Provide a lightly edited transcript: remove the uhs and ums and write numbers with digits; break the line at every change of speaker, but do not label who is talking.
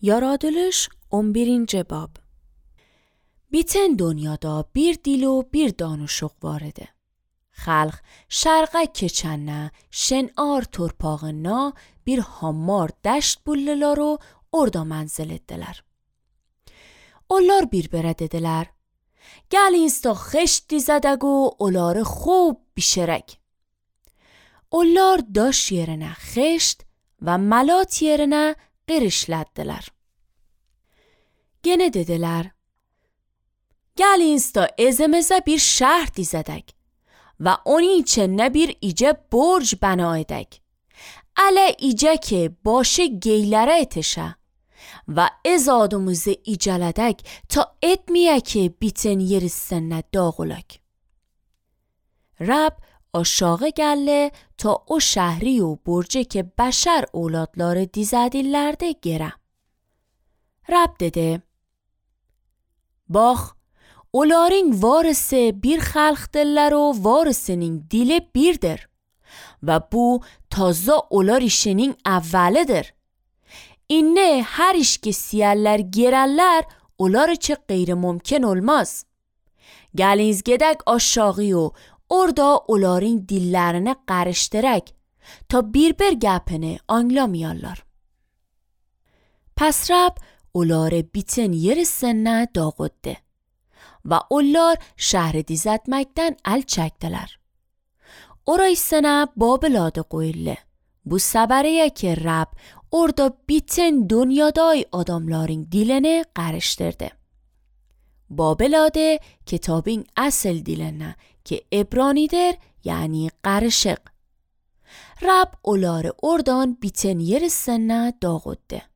Yaratılış 11. bab. Biten dünyada bir dil o bir danışıq var idi. Xalq şərqə keçəndə şen'ar torpağına bir hammar dəşt bullular o orada mənzil etdilər. Onlar bir-birə dedilər: "Gəlin da xeşt dizədək o onları خوب bişirək." Onlar daş yerinə xeşt və malat yerinə qirişləddilər. Gene dedilər: "Gəlin da ezimizə bir şəhər dizədək və onun içində bir icə borc bəna edək. Ələ icə ki başı geylərə etişə və ezadımızı icələdək ta etməyə ki bitin yerisində dağılək." Rab aşağı gəldi ta o şəhri و برجه که بشر اولادları dizədirlərdi gerə. Rab dedi: "Bax, onların varisi bir xalqdırlar o varisinin dili birdir və bu taza onlar işinin əvvəlidir. İnne hər iş ki siyərlər gerərlər onlar için qeyri mümkün olmaz. Gəliniz gedək aşağı o orada onların dillerini qarışdırək ta bir gəpini anlamıyarlar." Pes Rab onları bitin yerisində dağıtdı və onlar şəhri dizətməkdən əl çəkdilər. Orasına Babel adı qoyuldu. Bu səbəriyə ki Rab orada bitin dünyadای adamların dilini qarışdırdı. Babel adı kitabın asıl dilinə ki İbranidir, yani qarışıq. Rab onları oradan bitin yerisində dağıtdı.